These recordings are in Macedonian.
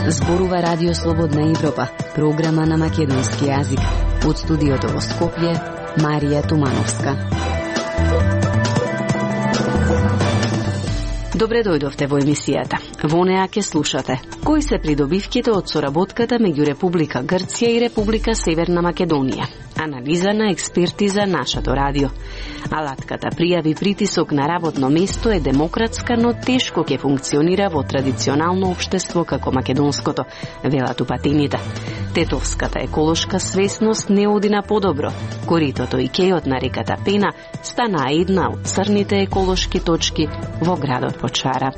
Зборува Радио Слободна Европа, програма на македонски јазик. Од студиото во Скопје, Марија Тумановска. Добре дојдовте во емисијата. Во неа ќе слушате кои се придобивките од соработката меѓу Република Грција и Република Северна Македонија. Анализа на експерти за нашето радио. Алатката пријави притисок на работно место е демократска, но тешко ќе функционира во традиционално општество како македонското, велат упатените. Тетовската еколошка свесност не оди на подобро. Коритото и кејот на реката Пена стана една од црните еколошки точки во градот Почара.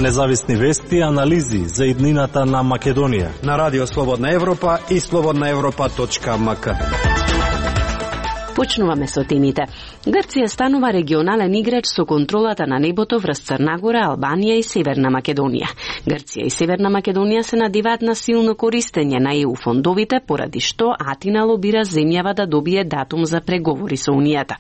Независни вести и анализи за иднината на Македонија на Радио Слободна Европа и slobodnaevropa.mk. Почнуваме со темите. Грција станува регионален играч со контролата на небото врз Црнагора, Албанија и Северна Македонија. Грција и Северна Македонија се надиваат на силно користење на ЕУ фондовите, поради што Атина лобира земјава да добие датум за преговори со Унијата.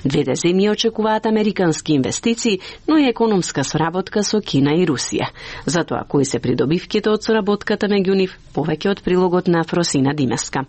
Двете земји очекуваат американски инвестиции, но и економска соработка со Кина и Русија. Затоа кои се придобивките од соработката меѓу нив, повеќе од прилогот на Фросина Димеска.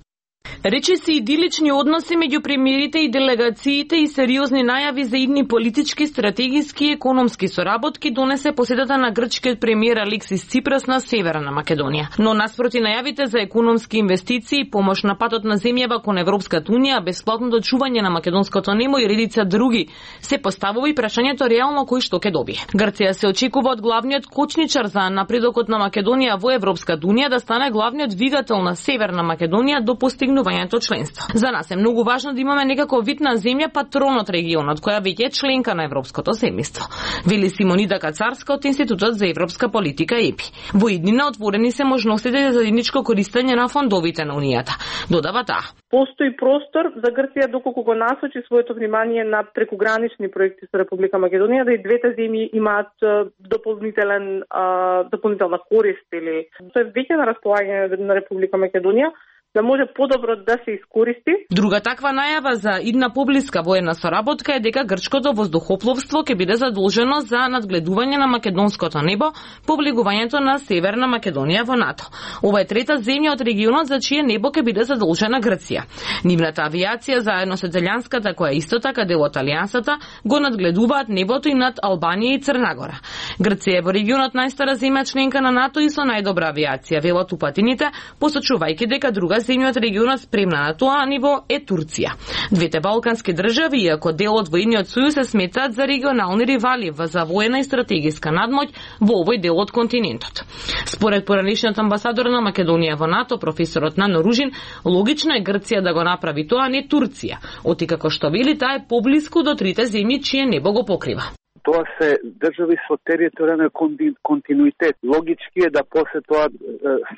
Речиси идилични односи меѓу премиерите и делегациите и сериозни најави за идни политички, стратегиски и економски соработки донесе посетата на грчкиот премиер Алексис Ципрас на Северна Македонија. Но наспроти најавите за економски инвестиции, помош на патот на земјава кон Европската унија, бесплатното чување на македонското небо и редица други, се поставува и прашањето реално кој што ќе добие. Грција се очекува од главниот кочничар за напредокот на Македонија во Европската унија да стане главниот двигател на Северна Македонија до постигнувањето членство. За нас е многу важно да имаме некако вид на земја патрон од регионот, која веќе е членка на Европското семејство, вели Симонида Кацарска од Институтот за европска политика ЕПИ. Во иднина отворени се можностите за заедничко користење на фондовите на Унијата. Додава таа. Постои простор за Грција доколку го насочи своето внимание на прекугранични проекти со Република Македонија, да и двете земји имаат дополнителна корист или тоа е веќе на располагање на Република Македонија, да може подобро да се искористи. Друга таква најава за идна поблиска воена соработка е дека грчкото воздухопловство ќе биде задолжено за надгледување на македонското небо по влегувањето на Северна Македонија во НАТО. Ова е трета земја од регионот за чие небо ќе биде задолжена Грција. Нивната авиација заедно со италијанската, која е исто така дел од алијансата, го надгледуваат небото и над Албанија и Црнагора. Грција е во регионот најстара земја членка на НАТО и со најдобра авиација, велат упатените, посочувајќи дека друга земја од регионот спремна на тоа ниво е Турција. Двете балкански држави, иако дел од војниот сојуз, се сметаат за регионални ривали за воена и стратегиска надмоќ во овој дел од континентот. Според поранешниот амбасадор на Македонија во НАТО, професорот Нано Ружин, логично е Грција да го направи тоа, не Турција, оти како што вели таа е поблиску до трите земји чие небо го покрива. Тоа се држави со територијален континуитет. Логички е да после тоа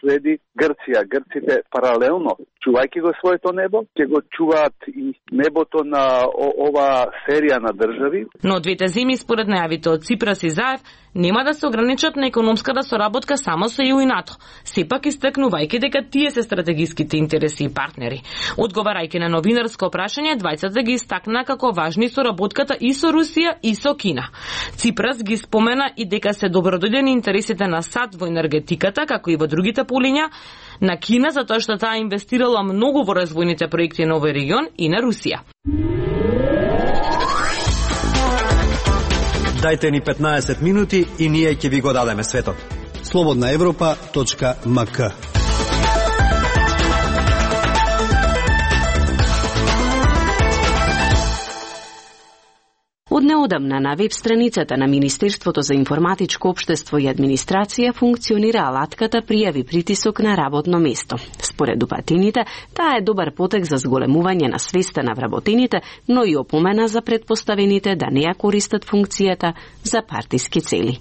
следи Грција. Грците паралелно, чувајќи го своето небо, ќе го чуваат и небото на ова серија на држави. Но двете земји, според најавите од Ципрас и Заев, нема да се ограничат на економската соработка само со ЕУ и НАТО, сепак истакнувајќи дека тие се стратегиските интереси и партнери. Одговарајќи на новинарско прашање, двајцата ги истакна како важни соработката и со Русија и со Кина. Ципрас ги спомена и дека се добродојдени интересите на САД во енергетиката, како и во другите полиња, на Кина затоа што таа инвестирала многу во развојните проекти на овој регион и на Русија. Дајте ни 15 минути и ние ќе ви го дадеме светот. slobodnaevropa.mk. Од неодамна на веб страницата на Министерството за информатичко општество и администрација функционира алатката пријави притисок на работно место. Според упатените, таа е добар потек за зголемување на свеста на вработените, но и опомена за претпоставените да не ја користат функцијата за партиски цели.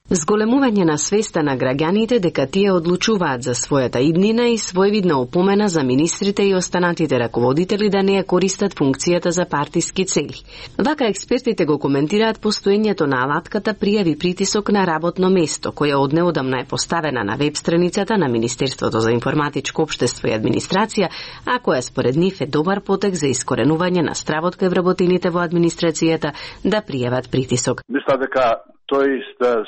Зголемување на свеста на граѓаните дека тие одлучуваат за својата иднина и своевидна опомена за министрите и останатите раководители да не ја користат функцијата за партиски цели. Вака експертите го коментираат постоењето на алатката пријави притисок на работно место, која однеодамна е поставена на веб страницата на Министерството за информатичко општество и администрација, а која според нив е добар потек за искоренување на стравот кај вработените во администрацијата да пријават притисок. Мисля дека тој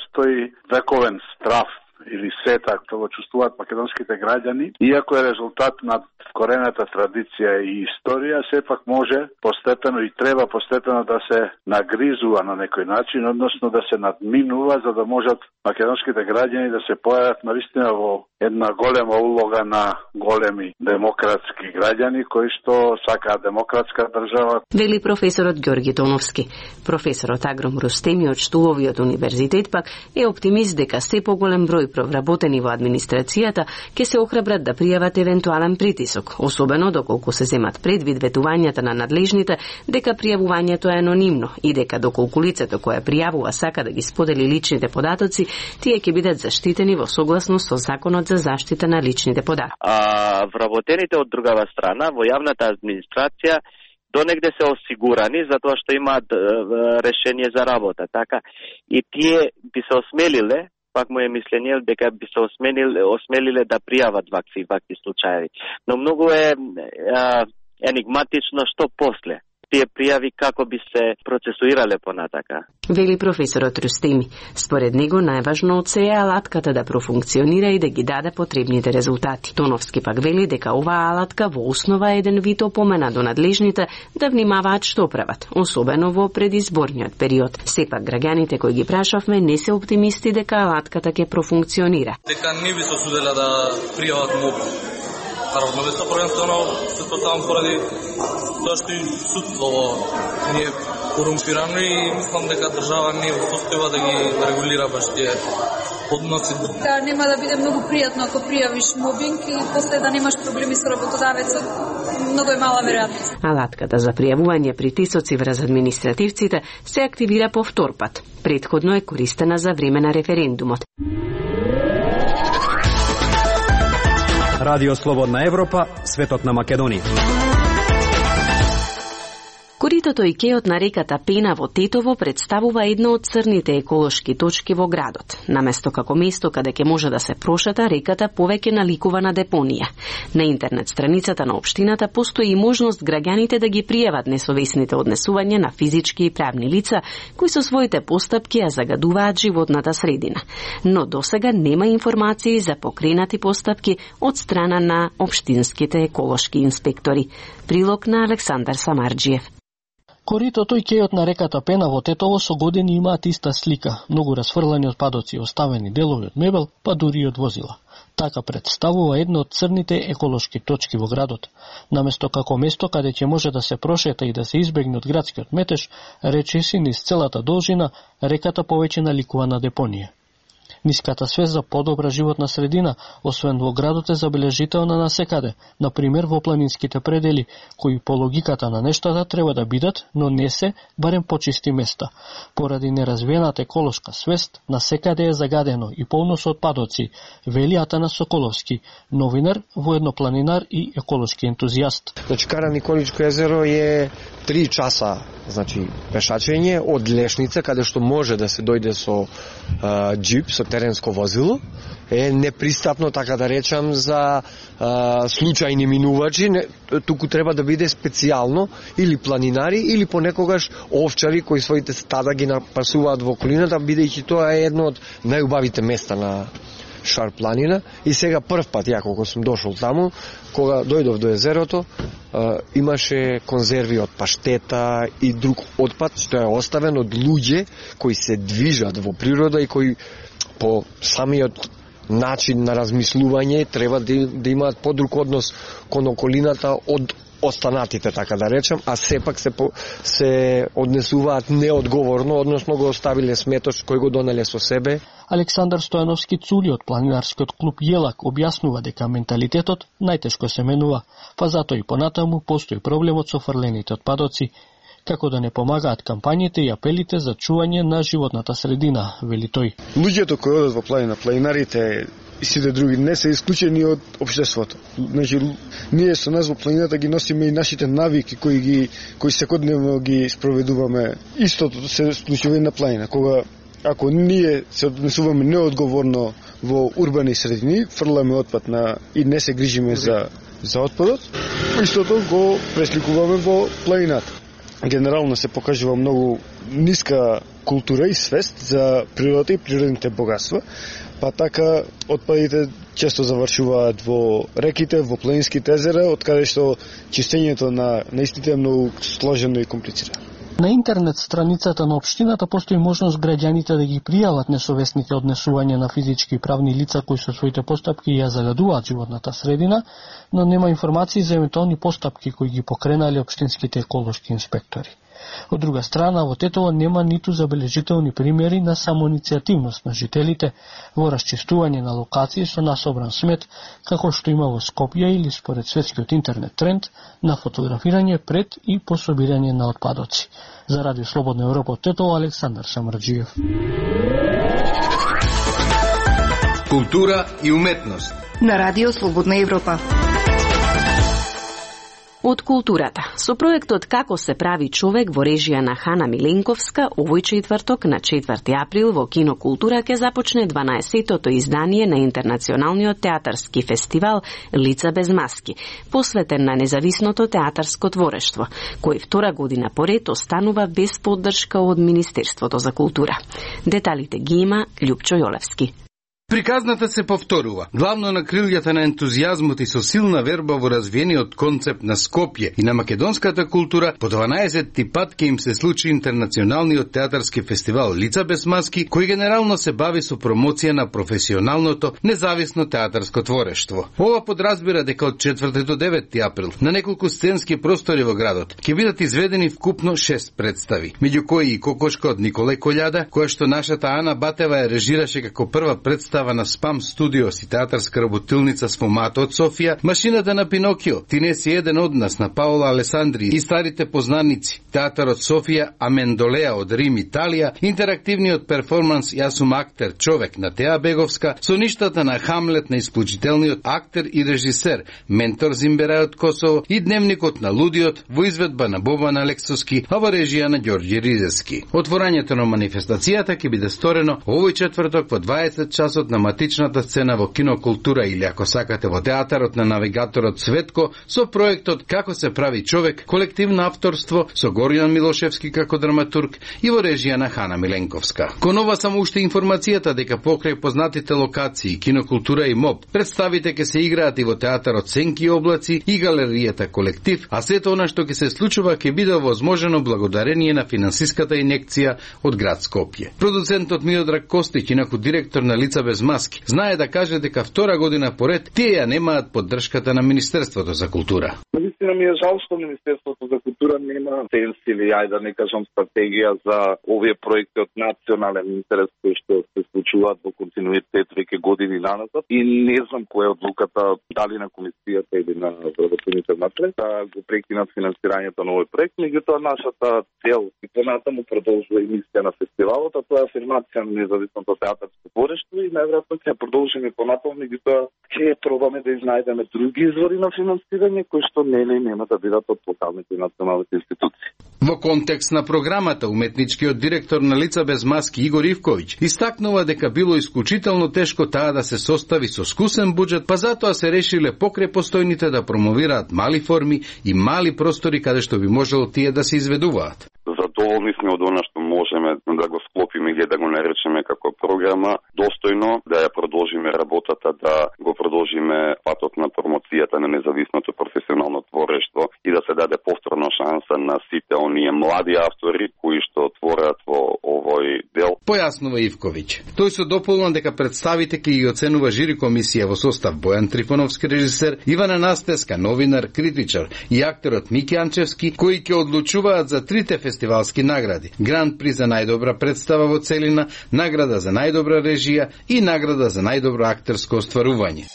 стои вековен страв или сета што го чувствуваат македонските граѓани, иако е резултат на вкорената традиција и историја, сепак може постепено и треба постепено да се нагризува на некој начин, односно да се надминува за да можат македонските граѓани да се појават навистина во една голема улога на големи демократски граѓани кои што сакаат демократска држава. Вели професорот Ѓорги Тоновски. Професорот Агром Рустеми од Штуловиот универзитет пак е оптимист дека се поголем број вработени во администрацијата ќе се охрабрат да пријават евентуален притисок, особено доколку се земат предвид ветувањата на надлежните дека пријавувањето е анонимно и дека доколку лицето кое пријавува сака да ги сподели личните податоци, тие ќе бидат заштитени во согласност со Законот за заштита на личните податоци. А вработените од другава страна во јавната администрација донегде се осигурани затоа што имаат решение за работа, така и тие би се осмелиле, пак му е мислење дека би се осмелиле да пријават вакви случаи. Но многу е енигматично што после тие пријави како би се процесуирале понатака. Вели професорот Рустеми. Според него најважно од се е алатката да профункционира и да ги даде потребните резултати. Тоновски пак вели дека оваа алатка во основа е еден вид опомена до надлежните да внимаваат што прават, особено во предизборниот период. Сепак граѓаните кои ги прашавме не се оптимисти дека алатката ќе профункционира. Дека не би се осудела да пријават мобил. Работно место првенствено се поставам поради тоа што и судство не е корумпирано и мислам дека држава не е состојба да ги регулира баш тие односи. Нема да биде многу пријатно ако пријавиш мобинг и после да немаш проблеми со работодавецот. Многу е мала веројатност. Алатката за пријавување притисоци врз административците се активира по втор пат. Претходно е користена за време на референдумот. Радио Слободна Европа, светот на Македонија. Коритото и кејот на реката Пена во Тетово представува едно од црните еколошки точки во градот. Наместо како место каде ќе може да се прошета, реката повеќе наликува на депонија. На интернет страницата на општината постои и можност граѓаните да ги пријават несовесните однесувања на физички и правни лица кои со своите постапки ја загадуваат животната средина. Но досега нема информации за покренати постапки од страна на општинските еколошки инспектори. Прилог на Александар Самарџиев. Коритото и кејот на реката Пена во Тетово со години имаат иста слика, многу расфрлани отпадоци, оставени делови од мебел, па дури и од возила. Така представува едно од црните еколошки точки во градот. Наместо како место каде ќе може да се прошета и да се избегне од градскиот метеж, речиси низ целата должина, реката повеќе наликува на депонија. Ниската свест за подобра животна средина, освен во градот, е забележителна насекаде, например во планинските предели, кои по логиката на нештата треба да бидат, но не се, барем почисти места. Поради неразвиената еколошка свест, насекаде е загадено и полно со отпадоци, вели Атанас Соколовски, новинар, воеднопланинар и еколошки ентузијаст. Значи, Кара Николичко езеро е 3 часа, значи, пешачење од Лешница, каде што може да се дојде со джип, со теренско возило, е непристапно, така да речам, за случајни минувачи, туку треба да биде специјално или планинари, или понекогаш овчари кои своите стада ги напасуваат во околината, бидејќи тоа е едно од најубавите места на Шар планина. И сега прв пат, ја кога сум дошол таму, кога дојдов до езерото, имаше конзерви од паштета и друг отпад, што е оставен од луѓе кои се движат во природа и кои по самиот начин на размислување треба да имаат подруг однос кон околината од останатите, така да речем, а сепак се однесуваат неодговорно, односно го оставиле сметош кој го донеле со себе. Александар Стојановски Цули од планинарскиот клуб Јелак објаснува дека менталитетот најтешко се менува, па затоа и понатаму постои проблемот со фрлените отпадоци, како да не помагаат кампањите и апелите за чување на животната средина, вели тој. Луѓето кои одат во планина, планинарите и сите други не се исклучени од општеството. Значи, ние со нас во планината ги носиме и нашите навики кои секојдневно ги спроведуваме. Истото се случува и на планина, кога ако ние се однесуваме неодговорно во урбани средини, фрламе отпад и не се грижиме за отпадот, истото го пресликуваме во планината. Генерално се покажува многу ниска култура и свест за природата и природните богатства, па така отпадите често завршуваат во реките, во планинските езера, од каде што чистењето на истите е многу сложено и комплицирано. На интернет страницата на општината постои можност граѓаните да ги пријават несовесните однесувања на физички и правни лица кои со своите постапки ја загадуваат животната средина, но нема информации за евентуални постапки кои ги покренали општинските еколошки инспектори. Од друга страна, во Тетово нема ниту забележителни примери на самоиницијативност на жителите во расчистување на локации со насобран смет, како што има во Скопје или според светскиот интернет тренд на фотографирање пред и по собирање на отпадоци. За Радио Слободна Европа од Тетово, Александар Самарџиев. Култура и уметност на Радио Слободна Европа. Од културата. Со проектот Како се прави човек во режија на Хана Миленковска, овој четврток на 4 април во Кино Култура ќе започне 12-тото издание на Интернационалниот театарски фестивал Лица без маски, посветен на независното театарско творештво, кој втора година поред останува без поддршка од Министерството за култура. Деталите ги има Љупчо Јолевски. Приказната се повторува, главно на крилјата на ентузијазмот и со силна верба во развиениот концепт на Скопје и на македонската култура, по 12-ти пат ќе им се случи Интернационалниот театарски фестивал Лица без маски, кој генерално се бави со промоција на професионалното, независно театарско творештво. Ова подразбира дека од 4 до 9 април на неколку сценски простори во градот ќе бидат изведени вкупно 6 представи, меѓу кои и Кокошка од Николај Колјада, која што нашата Ана Батева ја режираше како прва представа на Спам Студиос и театарска работилница Сфомато од Софија, Машината на Пинокио, Ти не си еден од нас на Паула Алесандри и старите познаници, театарот Софија, Амендолеа од Рим, Италија, интерактивниот перформанс Јас сум актер, човек на Теа Беговска, со ништата на Хамлет на исклучителниот актер и режисер Ментор Зимберај од Косово и Дневникот на лудиот во изведба на Бобан Алексовски, а во режија на Ѓорѓи Ризески. Отворањето на манифестацијата ќе биде сторено овој четврток во 20 часот на матичната сцена во Кино Култура или ако сакате во театарот на навигаторот Светко со проектот Како се прави човек, колективно авторство со Горијан Милошевски како драматург и во режија на Хана Миленковска. Кон ова само уште информацијата дека покрај познатите локации Кино Култура и МОБ, представите ќе се играат и во театарот Сенки и облаци и галеријата Колектив, а сето она што ќе се случува ќе биде возможено благодарение на финансиската инекција од град Скопје. Продуцентот Миодраг Костиќ, инаку директор на Лица без маски, знае да каже дека втора година поред тие ја немаат поддршката на Министерството за култура. Наистина ми е жал што Министерството за култура нема сенс или ајде да не кажам стратегија за овие проекти од национален интерес кои што се случуваат во континуитет веќе години наназад и не знам која е одлуката дали на комисијата или на вработените внатре да го прекинат финансирањето на овој проект, меѓутоа нашата цел и понатаму продолжува и мисија на фестивалот, а тоа е афирмација на независното театарско творештво и најверојатно ќе продолжиме понатаму, меѓутоа ќе пробаме да изнајдеме други извори на финансирање кои што нема да бидат од локалните и националните институции. Во контекст на програмата, уметничкиот директор на Лица без маски Игор Ивковиќ истакнува дека било исклучително тешко таа да се состави со скусен буџет, па затоа се решиле покрај постојните да промовираат мали форми и мали простори каде што би можело тие да се изведуваат. Задоволни сме од она што можеме да го склопиме или да го наречеме како програма, достојно да ја продолжиме работата, да го продолжиме патот на промоцијата на независното професионално творештво и да се даде повторна шанса на сите оние млади автори кои што творат во овој дел. Појаснува Ивковиќ. Тој се дополнува дека представите ќе ги оценува жири комисија во состав Бојан Трифоновски режисер, Ивана Настеска новинар, критичар и актерот Мики Анчевски, кои ќе одлучуваат за трите фестивалски награди: Гран при за најдобра представа во целина, награда за најдобра режија и награда за најдобро актерско остварување.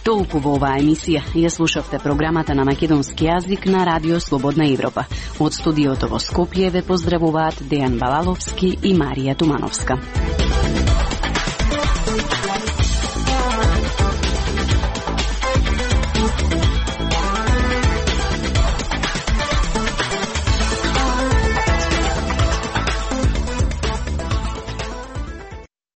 Толку во оваа емисија. Ја слушавте програмата на македонски јазик на Радио Слободна Европа. Од студиото во Скопје ве поздравуваат Дејан Балаловски и Марија Тумановска.